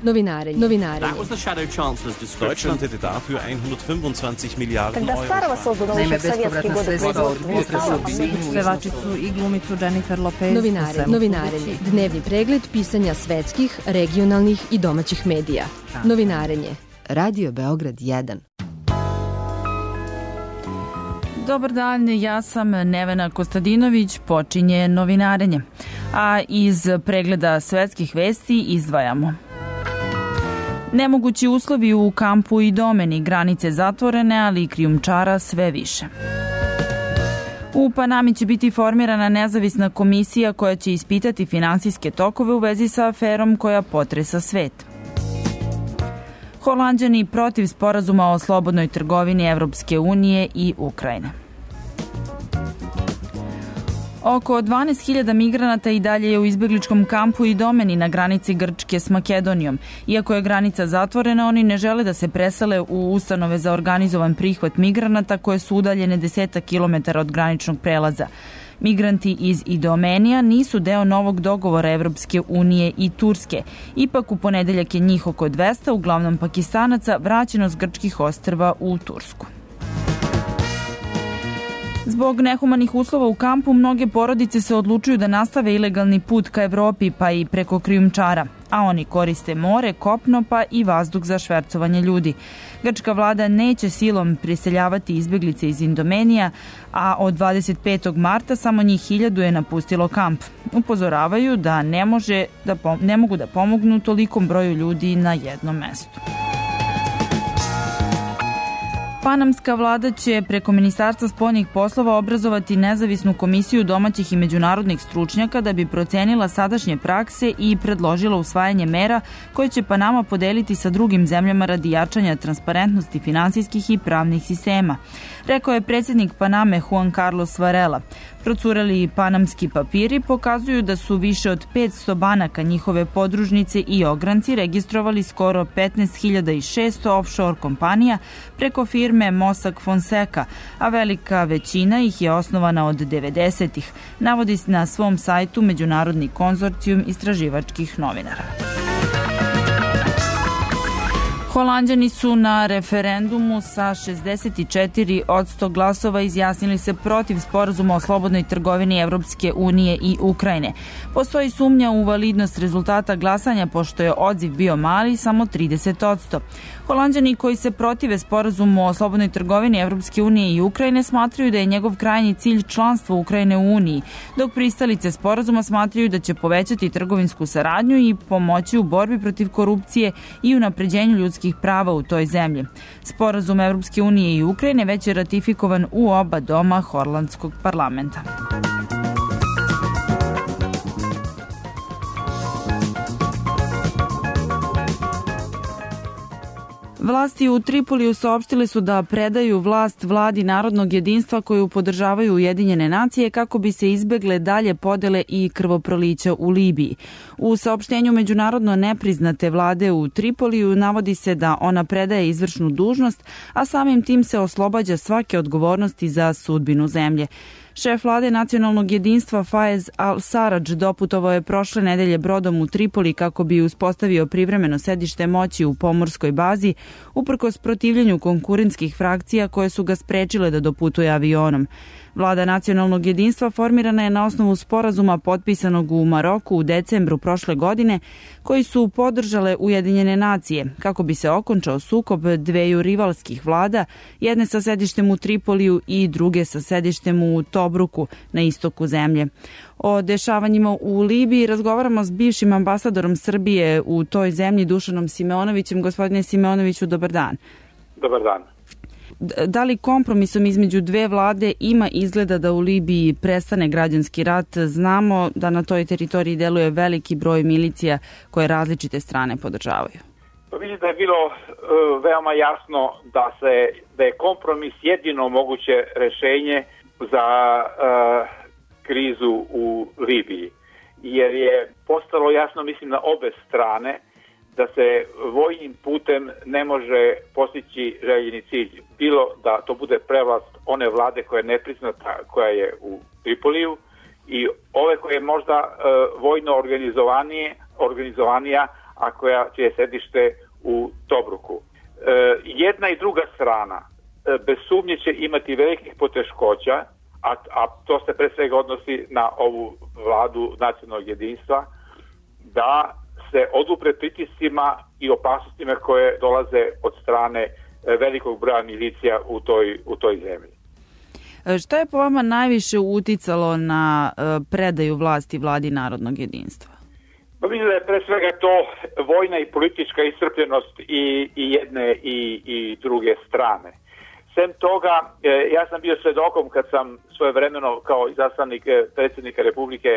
Novinarenje. Deutschland hätte dafür 125 Miliarden Когда старого создан еще в советские годы производства. Pevačicu i glumicu Jennifer Lopez. Novinarenje. Dnevni pregled pisanja svetskih, regionalnih i domaćih medija. Novinarenje. Radio Beograd 1. Dobar dan, ja sam Nevena Kostadinović, počinje novinarenje. A iz pregleda svetskih vesti izdvajamo. Nemogući uslovi u kampu Idomeni, granice zatvorene, ali i krijumčara sve više. U Panami će biti formirana nezavisna komisija koja će ispitati finansijske tokove u vezi sa aferom koja potresa svet. Holanđani protiv sporazuma o slobodnoj trgovini Evropske unije i Ukrajine. Oko 12.000 migranata i dalje je u izbegličkom kampu Idomeni na granici Grčke s Makedonijom. Iako je granica zatvorena, oni ne žele da se presele u ustanove za organizovan prihvat migranata koje su udaljene 10 kilometara od graničnog prelaza. Migranti iz Idomenija nisu deo novog dogovora Evropske unije i Turske. Ipak u ponedeljak je njih oko 200, uglavnom Pakistanaca, vraćeno s grčkih ostrva u Tursku. Zbog nehumanih uslova u kampu, mnoge porodice se odlučuju da nastave ilegalni put ka Evropi, pa i preko krijumčara, a oni koriste more, kopno, pa i vazduh za švercovanje ljudi. Grčka vlada neće silom priseljavati izbeglice iz Idomenija, a od 25. marta samo njih 1000 je napustilo kamp. Upozoravaju da ne mogu da pomognu tolikom broju ljudi na jednom mestu. Panamska vlada će preko Ministarstva spoljnih poslova obrazovati nezavisnu komisiju domaćih i međunarodnih stručnjaka da bi procenila sadašnje prakse i predložila usvajanje mera koje će Panama podeliti sa drugim zemljama radi jačanja transparentnosti finansijskih i pravnih sistema. Rekao je predsjednik Paname Juan Carlos Varela. Procureli panamski papiri pokazuju da su više od 500 banaka, njihove podružnice i ogranci registrovali skoro 15.600 offshore kompanija preko firme Mossack Fonseca, a velika većina ih je osnovana od 90-ih, navodi na svom sajtu Međunarodni konzorcijum istraživačkih novinara. Holanđani su na referendumu sa 64% glasova izjasnili se protiv sporazuma o slobodnoj trgovini Evropske unije i Ukrajine. Postoji sumnja u validnost rezultata glasanja pošto je odziv bio mali, samo 30%. Holanđani koji se protive sporazumu o slobodnoj trgovini Evropske unije i Ukrajine smatraju da je njegov krajnji cilj članstvo Ukrajine u Uniji, dok pristalice sporazuma smatraju da će povećati trgovinsku saradnju i pomoći u borbi protiv korupcije i unapređenju ljudskih prava u toj zemlji. Sporazum Evropske unije i Ukrajine već je ratifikovan u oba doma holandskog parlamenta. Vlasti u Tripoliju saopštile su da predaju vlast vladi narodnog jedinstva koju podržavaju Ujedinjene nacije kako bi se izbegle dalje podele i krvoprolića u Libiji. U saopštenju međunarodno nepriznate vlade u Tripoliju navodi se da ona predaje izvršnu dužnost, a samim tim se oslobađa svake odgovornosti za sudbinu zemlje. Šef vlade nacionalnog jedinstva Faiz al-Sarraj doputovao je prošle nedelje brodom u Tripoli kako bi uspostavio privremeno sedište moći u pomorskoj bazi, uprkos protivljenju konkurentskih frakcija koje su ga sprečile da doputuje avionom. Vlada nacionalnog jedinstva formirana je na osnovu sporazuma potpisanog u Maroku u decembru prošle godine, koji su podržale Ujedinjene nacije, kako bi se okončao sukob dveju rivalskih vlada, jedne sa sedištem u Tripoliju i druge sa sedištem u Tobruku na istoku zemlje. O dešavanjima u Libiji razgovaramo s bivšim ambasadorom Srbije u toj zemlji, Dušanom Simeonovićem. Gospodine Simeonoviću, dobar dan. Dobar dan. Da li kompromisom između dve vlade ima izgleda da u Libiji prestane građanski rat? Znamo da na toj teritoriji deluje veliki broj milicija koje različite strane podržavaju. Pa vidim da je bilo veoma jasno da je kompromis jedino moguće rešenje za krizu u Libiji. Jer je postalo jasno, mislim, na obe strane da se vojnim putem ne može postići željeni cilj. Bilo da to bude prevlast one vlade koja je nepriznata, koja je u Tripoliju, i ove koje je možda vojno organizovanija, čije je sedište u Tobruku. Jedna i druga strana bez sumnje će imati velikih poteškoća, a to se pre svega odnosi na ovu vladu nacionalnog jedinstva, da se odupre pritiscima i opasnostima koje dolaze od strane velikog broja milicija u toj zemlji. Šta je po vama najviše uticalo na predaju vlasti vladi narodnog jedinstva? Pa mislim da je pre svega to vojna i politička iscrpljenost i jedne i druge strane. Sem toga, ja sam bio svedokom kad sam svojevremeno kao izaslanik predsjednika Republike,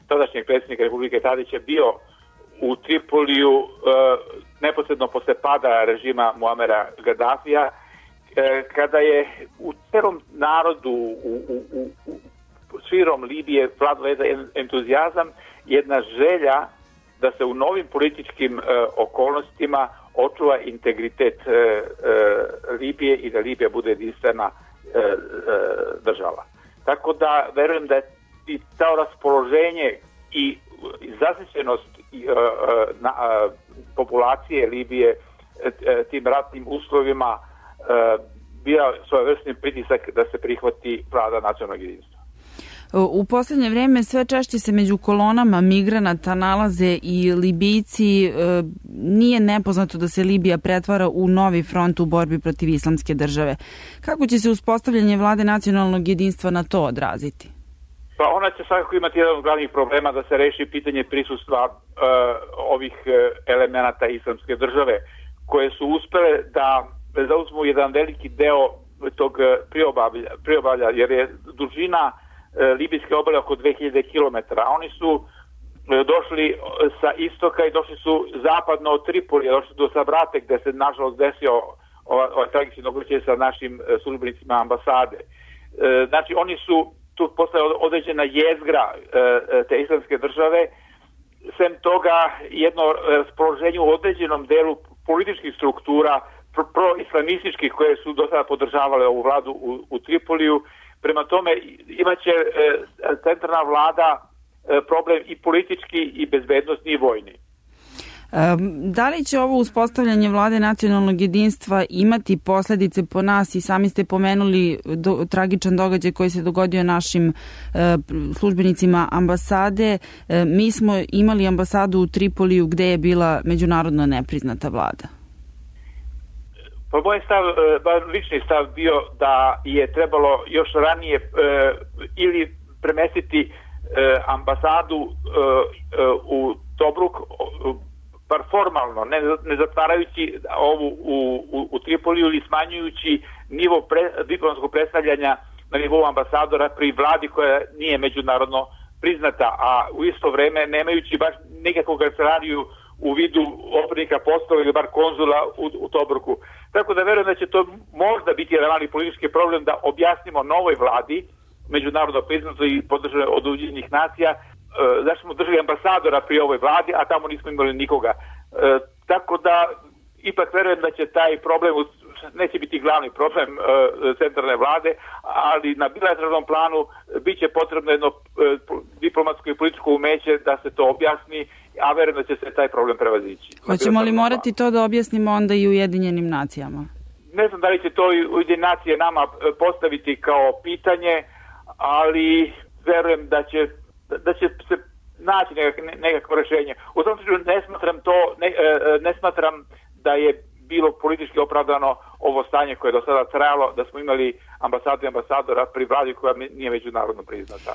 tadašnjeg predsjednika Republike Tadića bio u Tripoliju neposredno posle pada režima Muamera Gaddafija, kada je u celom narodu, u širom Libije vladao jedan entuzijazam, jedna želja da se u novim političkim okolnostima očuva integritet Libije i da Libija bude jedinstvena država. Tako da verujem da je i to raspoloženje i zasićenost populacije Libije tim ratnim uslovima bio svojevrsni pritisak da se prihvati vlada nacionalnog jedinstva. U posljednje vrijeme sve češće se među kolonama migranata nalaze i Libijci. Nije nepoznato da se Libija pretvara u novi front u borbi protiv islamske države. Kako će se uspostavljanje vlade nacionalnog jedinstva na to odraziti? Pa ona će svakako imati jedan od glavnih problema da se reši pitanje prisustva ovih elemenata islamske države, koje su uspele da zauzmu jedan veliki deo tog priobalja, jer je dužina libijske obale oko 2000 km. Oni su došli sa istoka i došli su zapadno od Tripolija, došli do Sabrate gde se nažalost desio ovaj tragični događaj sa našim službenicima ambasade. Znači oni su tu postala određena jezgra te islamske države. Sem toga jedno raspoloženje u određenom delu političkih struktura proislamističkih koje su do sada podržavale ovu vladu u Tripoliju. Prema tome imaće centralna vlada problem i politički i bezbednosni i vojni. Da li će ovo uspostavljanje vlade nacionalnog jedinstva imati posljedice po nas? I sami ste pomenuli tragičan događaj koji se dogodio našim službenicima ambasade. Mi smo imali ambasadu u Tripoliju gde je bila međunarodno nepriznata vlada. Pa moj stav, lični stav bio da je trebalo još ranije ili premestiti ambasadu u Tobruk, bar formalno, ne zatvarajući ovu u Tripoliju ili smanjujući nivo diplomatskog predstavljanja na nivou ambasadora pri vladi koja nije međunarodno priznata, a u isto vreme nemajući baš nikakvog kancelariju u vidu opernika poslova ili bar konzula u Tobruku. Tako da verujem da će to možda biti jedan mali politički problem da objasnimo novoj vladi, međunarodno priznato i podržano od Ujedinjenih nacija, zašto smo držali ambasadora pri ovoj vladi, a tamo nismo imali nikoga. Tako da ipak verujem da će taj problem, neće biti glavni problem centralne vlade, ali na bilateralnom planu bit će potrebno jedno diplomatsko i političko umeće da se to objasni, a verujem da će se taj problem prevazići. Hoćemo li morati to da objasnimo onda i Ujedinjenim nacijama? Ne znam da li će to Ujedinjene nacije nama postaviti kao pitanje, ali verujem da će se naći nekakvo rešenje. U tom slučaju ne smatram da je bilo politički opravdano ovo stanje koje je do sada trajalo, da smo imali ambasadu i ambasadora pri vladi koja nije međunarodno priznata.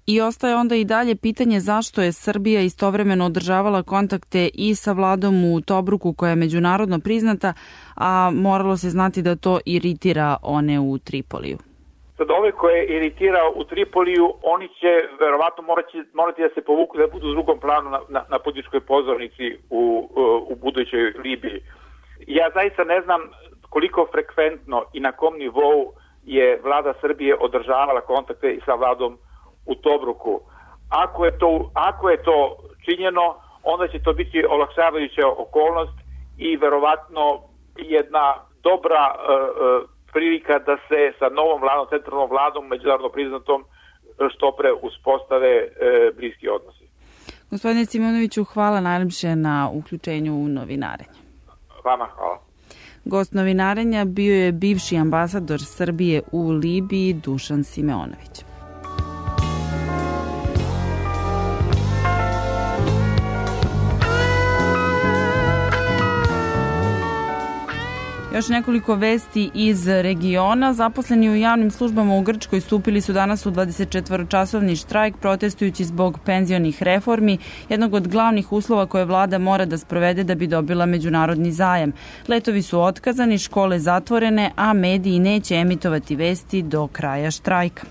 I ostaje onda i dalje pitanje zašto je Srbija istovremeno održavala kontakte i sa vladom u Tobruku koja je međunarodno priznata, a moralo se znati da to iritira one u Tripoliju. Sad ove koje iritirao u Tripoliju, oni će verovatno morati da se povuku, da budu u drugom planu na političkoj pozornici u budućoj Libiji. Ja zaista ne znam koliko frekventno i na kom nivou je vlada Srbije održavala kontakte i sa vladom u Tobruku. Ako je to činjeno, onda će to biti olakšavajuća okolnost i verovatno jedna dobra prilika da se sa novom vladom, centralnom vladom, međunarodno priznatom, što pre uspostave bliski odnosi. Gospodine Simonoviću, hvala najljepše na uključenju u novinarenje. Vama hvala. Gost novinarenja bio je bivši ambasador Srbije u Libiji Dušan Simeonović. Još nekoliko vesti iz regiona. Zaposleni u javnim službama u Grčkoj stupili su danas u 24-časovni štrajk protestujući zbog penzionih reformi, jednog od glavnih uslova koje vlada mora da sprovede da bi dobila međunarodni zajam. Letovi su otkazani, škole zatvorene, a mediji neće emitovati vesti do kraja štrajka.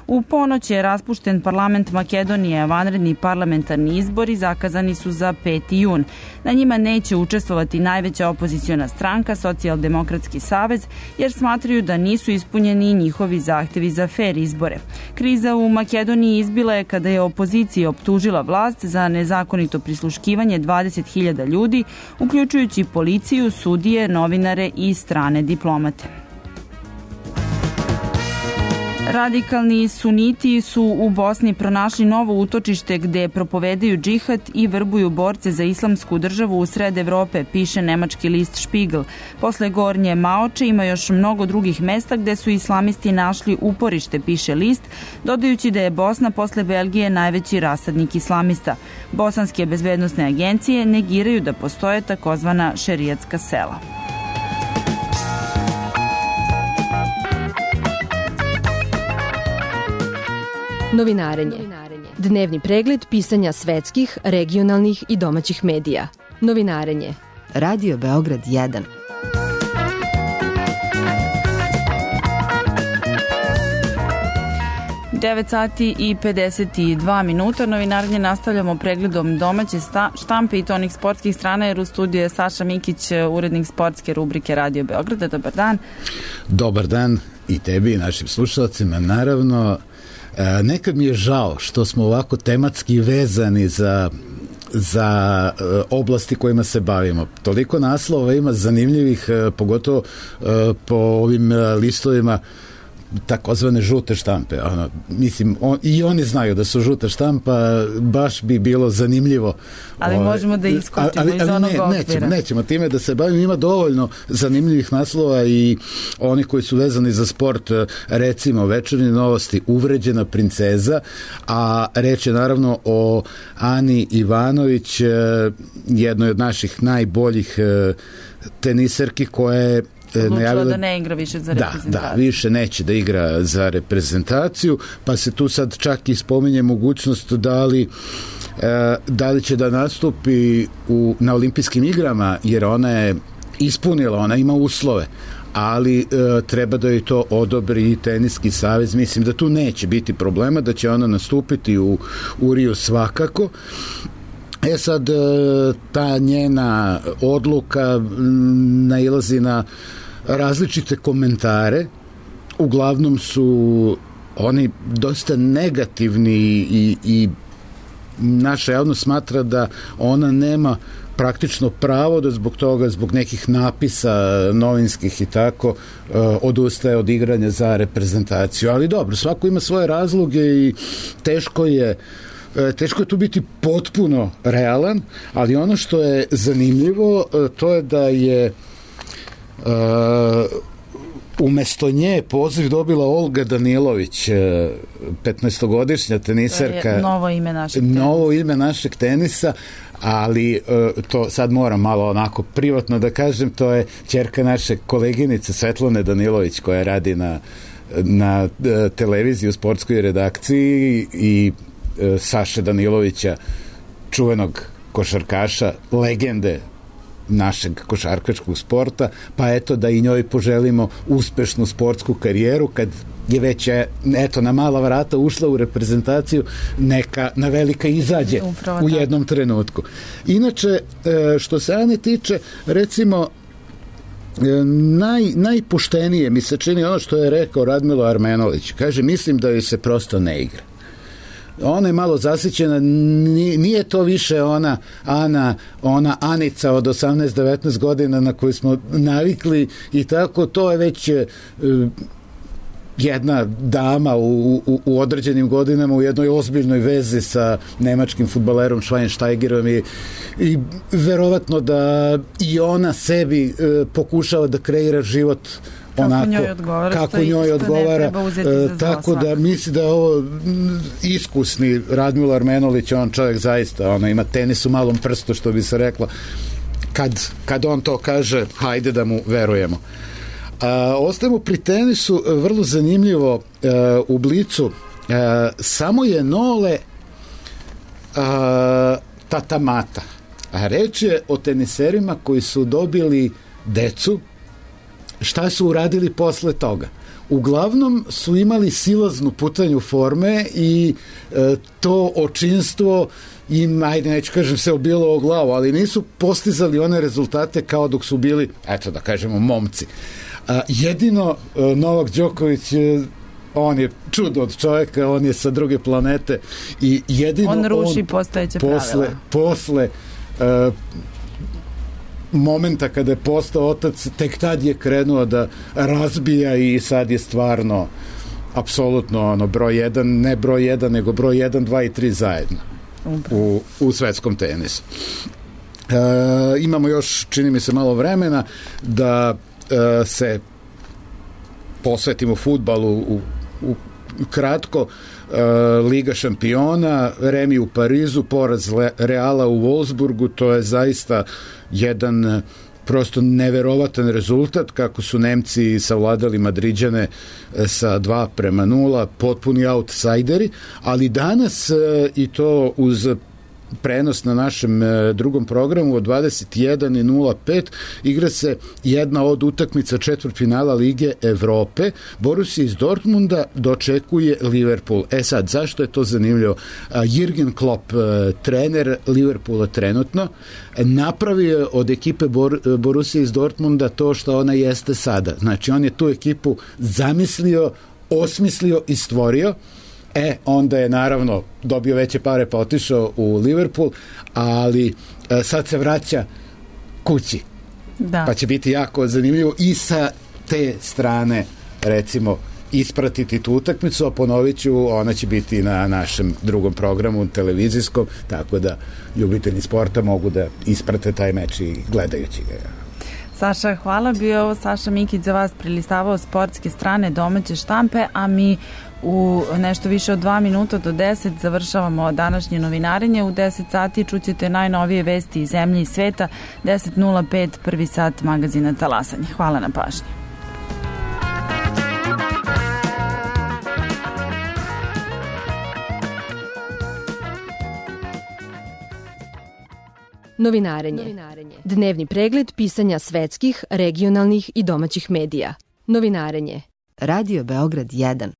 U ponoć je raspušten parlament Makedonije, a vanredni parlamentarni izbori zakazani su za 5. jun. Na njima neće učestvovati najveća opoziciona stranka, Socijaldemokratski savez, jer smatraju da nisu ispunjeni njihovi zahtevi za fer izbore. Kriza u Makedoniji izbila je kada je opozicija optužila vlast za nezakonito prisluškivanje 20.000 ljudi, uključujući policiju, sudije, novinare i strane diplomate. Radikalni suniti su u Bosni pronašli novo utočište gde propovedaju džihad i vrbuju borce za islamsku državu u sred Evrope, piše nemački list Spiegel. Posle Gornje Maoče ima još mnogo drugih mesta gde su islamisti našli uporište, piše list, dodajući da je Bosna posle Belgije najveći rasadnik islamista. Bosanske bezbednosne agencije negiraju da postoje takozvana šerijatska sela. Novinarenje. Dnevni pregled pisanja svetskih, regionalnih i domaćih medija. Novinarenje. Radio Beograd 1. sati i 52 minuta. Novinarenje nastavljamo pregledom domaće štampe i to onih sportskih strana, jer u studiju je Saša Mikić, urednik sportske rubrike Radio Beograda. Dobar dan. Dobar dan i tebi i našim slušalcima. Naravno, nekad mi je žao što smo ovako tematski vezani za oblasti kojima se bavimo. Toliko naslova ima zanimljivih, pogotovo po ovim listovima takozvane žute štampe. Mislim, i oni znaju da su žuta štampa, baš bi bilo zanimljivo. Ali možemo da iskočimo iz onog okvira. Nećemo time da se bavimo. Ima dovoljno zanimljivih naslova i oni koji su vezani za sport, recimo Večernje novosti, uvređena princeza, a reč je naravno o Ani Ivanović, jednoj od naših najboljih teniserki koja je odlučila da ne igra više za reprezentaciju. Da, više neće da igra za reprezentaciju, pa se tu sad čak i spominje mogućnost da li će da nastupi na olimpijskim igrama, jer ona je ispunila, ona ima uslove, ali treba da joj to odobri teniski savez. Mislim da tu neće biti problema, da će ona nastupiti u Riju svakako. Sad, ta njena odluka nailazi na različite komentare. Uglavnom su oni dosta negativni i naša javnost smatra da ona nema praktično pravo da zbog toga, zbog nekih napisa novinskih i tako, odustaje od igranja za reprezentaciju. Ali dobro, svako ima svoje razloge i teško je tu biti potpuno realan, ali ono što je zanimljivo, to je da je umesto nje poziv dobila Olga Danilović, 15-godišnja teniserka. Novo ime našeg tenisa, ali to sad moram malo onako privatno da kažem, to je ćerka naše koleginice Svetlane Danilović, koja radi na televiziji u sportskoj redakciji, i Saše Danilovića, čuvenog košarkaša, legende našeg košarkaškog sporta, pa eto da i njoj poželimo uspešnu sportsku karijeru, kad je već na mala vrata ušla u reprezentaciju, neka na velika izađe u jednom trenutku. Inače, što se Ane tiče, recimo, najpoštenije mi se čini ono što je rekao Radmilo Armenović. Kaže, mislim da joj se prosto ne igra. Ona je malo zasićena, nije to više ona Anica od 18-19 godina na koju smo navikli i tako, to je već jedna dama u određenim godinama u jednoj ozbiljnoj vezi sa nemačkim fudbalerom Schweinsteigerom i verovatno da i ona sebi pokušava da kreira život onako kako njoj odgovara, tako da misli da je ovo iskusni Radmilo Armenolić, on čovjek zaista ima tenis u malom prstu, što bi se rekla, kad on to kaže, hajde da mu verujemo. Ostajemo pri tenisu, vrlo zanimljivo u Blicu, samo je Nole tatamata, a reč je o teniserima koji su dobili decu. Šta su uradili posle toga? Uglavnom su imali silaznu putanju forme i to očinstvo im, ajde neću kažem se obilo o glavu, ali nisu postizali one rezultate kao dok su bili, eto da kažemo, momci. Jedino Novak Đoković, on je čudo od čovjeka, on je sa druge planete i jedino on ruši postojeće pravila. Posle momenta kada je postao otac, tek tad je krenuo da razbija i sad je stvarno apsolutno broj 1, ne broj 1, nego broj 1, 2 i 3 zajedno u svetskom tenisu. Imamo još, čini mi se, malo vremena da se posvetimo fudbalu u kratko. Liga šampiona, remi u Parizu, poraz Reala u Wolfsburgu, to je zaista jedan prosto neverovatan rezultat, kako su Nemci savladali Madriđane sa 2-0, potpuni outsideri, ali danas, i to uz prenos na našem drugom programu od 21:05 igra se jedna od utakmica četvrtfinala Lige Evrope. Borussia iz Dortmunda dočekuje Liverpool. Sad, zašto je to zanimljivo? Jürgen Klopp, trener Liverpoola trenutno, napravio od ekipe Borussia iz Dortmunda to što ona jeste sada. Znači, on je tu ekipu zamislio, osmislio i stvorio. Onda je naravno dobio veće pare pa otišao u Liverpool, ali sad se vraća kući. Da. Pa će biti jako zanimljivo i sa te strane, recimo, ispratiti tu utakmicu, a ponovit ću, ona će biti na našem drugom programu televizijskom, tako da ljubitelji sporta mogu da isprate taj meč i gledajući ga. Saša, hvala. Bio je ovo Saša Mikić za vas prilistavao sportske strane domaće štampe, a mi u nešto više od 2 minuta do 10 završavamo današnje novinarenje. U 10 sati čućete najnovije vesti iz zemlje i sveta. 10:05, prvi sat magazina Talasanje. Hvala na pažnji. Novinarenje. Dnevni pregled pisanja svetskih, regionalnih i domaćih medija. Novinarenje. Radio Beograd 1.